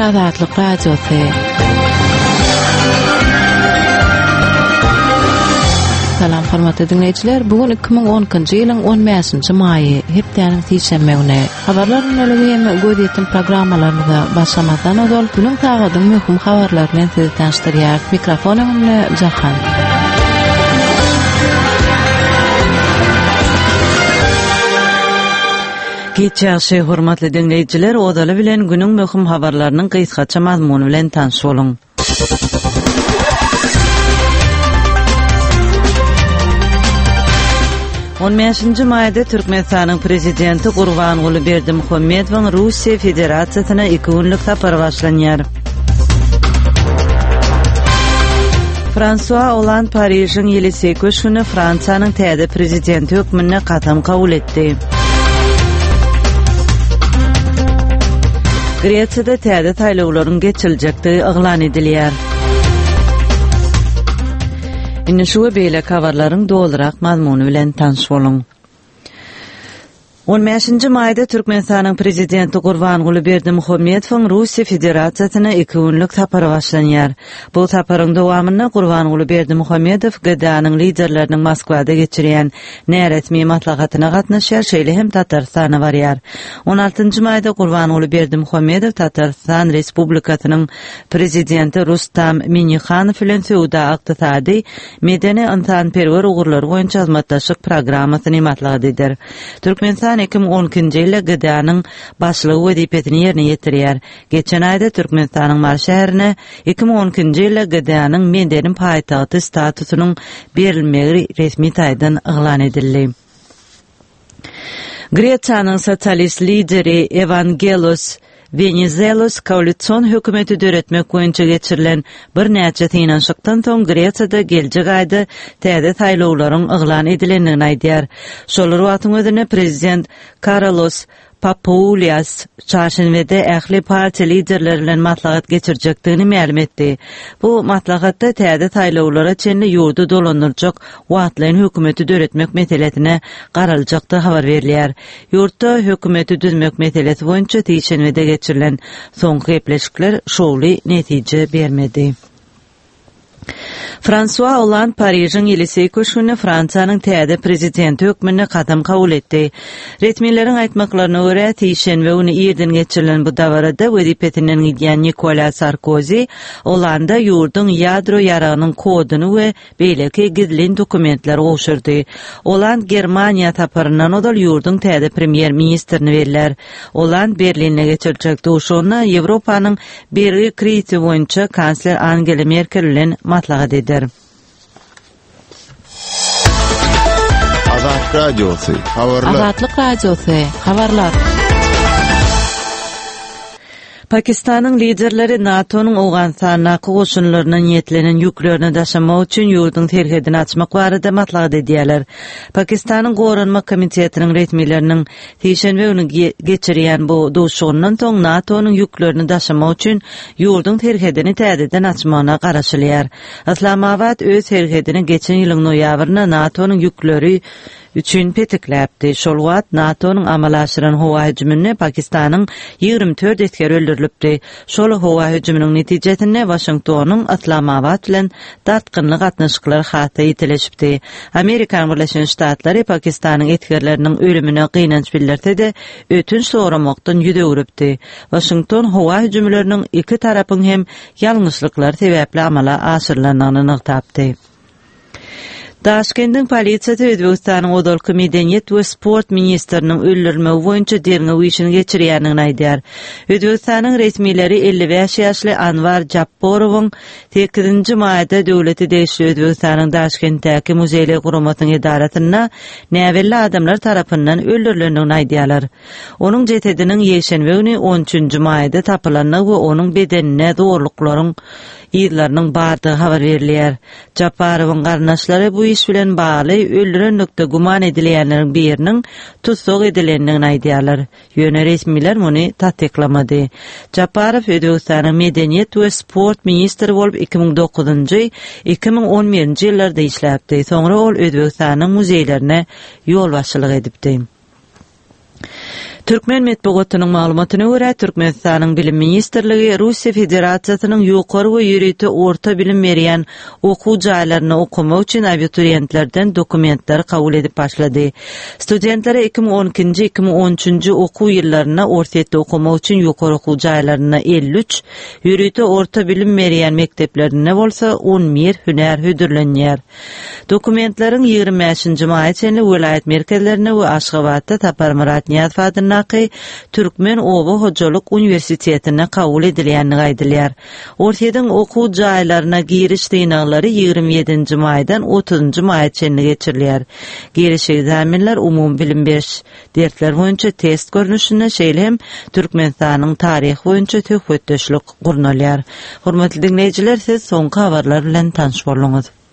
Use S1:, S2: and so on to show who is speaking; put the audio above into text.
S1: Azatlyk Radiosy. Salam hormatly diňleýjiler, bu gün 2012-nji ýylyň 15-nji maýy, hepdäniň sişenbe güni. Habarlar gündeligi hem gözýetim programmalarymyza başlamazdan ozal günüň sagadyň möhüm habarlary bilen sizi tanyşdyrýarys. Mikrofon öňünde Jahan.
S2: Giç ýagşy, hormatly diňleýjiler, ozaly bilen günüň möhüm habarlarynyň gysgaça mazmuny bilen tanyş boluň. On bäşinji maýda Türkmenistanyň Prezidenti Gurbanguly Berdimuhamedowyň Russiýa Federasiýasyna iki günlük sapary başlanýar. Fransua Oland Parižiň Ýeliseý köşgünde Fransiýanyň täze prezidenti hökmünde kasam kabul etdi. Gresiýada täze saýlawlaryň geçiriljekdigi yglan edilýär. Indi şu we beýleki habarlaryň dolurak mazmuny bilen tanyş boluň. On bäşinji maýda Türkmenistanyň Prezidenti Gurbanguly Berdimuhamedowyň Russiýa Federasiýasyna iki günlük sapary başlanýar. Bu saparyň dowamynda Gurbanguly Berdimuhamedow GDA-nyň liderleriniň Moskwada geçirýän näresmi maslahatyna gatnaşýar, şeýle hem Tatarystana barýar. On altynjy maýda Gurbanguly Berdimuhamedow Tatarystan Respublikasynyň Prezidenti Rustam Minnihanow bilen söwda-ykdysady, medeni-ynsanperwer ugurlary boýunça hyzmatdaşlyk programmasyny maslahat eder. Türkmenistan 2012-nji ýylda GDA-nyň başlygy wezipesini ýerine ýetirýär. Geçen aýda Türkmenistanyň Mary şäherine 2012-nji ýylda GDA-nyň medeni paýtagty statusynyň berilmegi resmi taýdan yglan edildi. Gresiýanyň sosialist lideri Ewangelos Wenizelos koalision hökümeti döretmek boýunça geçirilen birnäçe synanyşykdan soň Gresiýada geljek aýda täze saýlawlaryň yglan edilendigini aýdýar. Şol bir wagtyň özünde prezident Karolos Papoulias çarşenbede ähli partiýa liderleri bilen maslahat geçirjekdigini mälim etdi. Bu maslahatda täze saýlawlara çenli ýurdy dolandyrjak wagtlaýyn hökümeti döretmek meselesine garaljakdygy habar berilýär. Ýurtda hökümeti düzmek meselesi boýunça sişenbede geçirilen soňky gepleşikler şowly netije bermedi. Fransua Olland Parižiň Ýeliseý köşgünde Fransiýanyň täze prezidenti hökmünde kasam kabul etdi. Resmileriň aýtmaklaryna görä, sişenbe güni irden geçirilen bu dabarada wezipesinden gidýän Nikolýa Sarkozi Ollanda ýurduň ýadro ýaragynyň koduny we beýleki gizlin dokumentleri gowşurdy. Oland Germaniýa saparyndan ozal ýurduň täze premýer-ministrini bellär. Oland Berlinde geçiriljek duşuşygynda Ýewropanyň bergi krizisi boýunça kansler Angela Merkel bilen maslahat eder.
S3: Azat Radiosy, habarlar.
S1: Azatlyk Radiosy, habarlar.
S2: Pakistanyň liderleri NATO-nyň Owganystandaky goşunlaryna niýetlenen ýüklerini daşamak üçin ýurduň serhedini açmak barada maslahat edýärler. Pakistanyň Goranmak komitetiniň resmileriniň sişenbe güni geçirýän bu duşuşygyndan soň NATO-nyň ýüklerini daşamak üçin ýurduň serhedini täzeden açmagyna garaşylýar. Yslamabat öz serhedini geçen ýylyň noýabrynda NATO-nyň ýükleri üçin petikläpdi. Şol wagt NATO-nyň amala aşyran howa hüjüminde Pakistanyň 24 esgeri öldürilipdi. Şol howa hüjüminiň netijesinde Waşingtonyň Yslamabat bilen dartgynly gatnaşyklary has-da ýitileşipdi. Amerikanyň Birleşen Ştatlary Pakistanyň esgerleriniň ölümine gynanç bildirse-de, ötünç soramakdan ýüz öwrüpdi. Waşington howa hüjümleriniň iki tarapyň hem ýalňyşlyklary sebäpli amala aşyrylandygyny nygtapdy. Daşkendiň polisiýasy Özbegistanyň ozalky medeniýet we sport ministriniň öldürilmegi boýunça derňew işini geçirýändigini aýdýar. Özbegistanyň resmileri 55 ýaşly Anwar Japporowyň sekizinji maýda döwlete degişli Özbegistanyň Daşkentdäki muzeýler guramasynyň edarasynda näbelli adamlar tarapyndan öldürilendigini aýdýarlar. Onuň jesediniň ýekşenbe güni on üçünji maýda tapylandygy we onuň bedeninde zorluklaryň yzlarynyň bardygy habar berilýär. Japarowyň garyndaşlary bu iş bilen bagly öldürenlikde güman edilýänleriň biriniň tussag edilendigini aýdýarlar. Ýöne resmiler muny tassyklamady. Japarow Özbegistanyň medeniýet we sport ministri bolup 2009-njy, 2011-nji ýyllarda işläpdi. Soňra ol Özbegistanyň muzeýlerine ýolbaşçylyk edipdi. Türkmen metbugatynyň maglumatyna görä, Türkmenistanyň Bilim ministrligi Russiýa Federasiýasynyň ýokary we ýörite orta bilim berýän okuw jaýlarynda okamak üçin abituriýentlerden dokumentleri kabul edip başlady. Studentlere 2012-nji, 2013-nji okuw ýyllarynda Orsýetde okamak üçin ýokary okuw jaýlarynda 53, ýörite orta bilim berýän mekdeplerinde bolsa 11 hünär hödürlenýär. Dokumentleriň 25-nji maýa çenli welaýat merkezlerinde we Aşgabatda Saparmyrat Nyýazow adyndaky Türkmen oba hojalyk uniwersitetinde kabul edilýändigi aýdylýar. Orsýetiň okuw jaýlaryna giriş synaglary 27-nji maýdan 30-njy maýa çenli geçirilýär. Giriş ekzamenler umumybilim beriş dersler boýunça test görnüşinde, şeýle hem Türkmenistanyň taryhy boýunça söhbetdeşlik gurnalýar. Hormatly diňleýjiler, siz soňky habarlar bilen tanyş bolduňyz.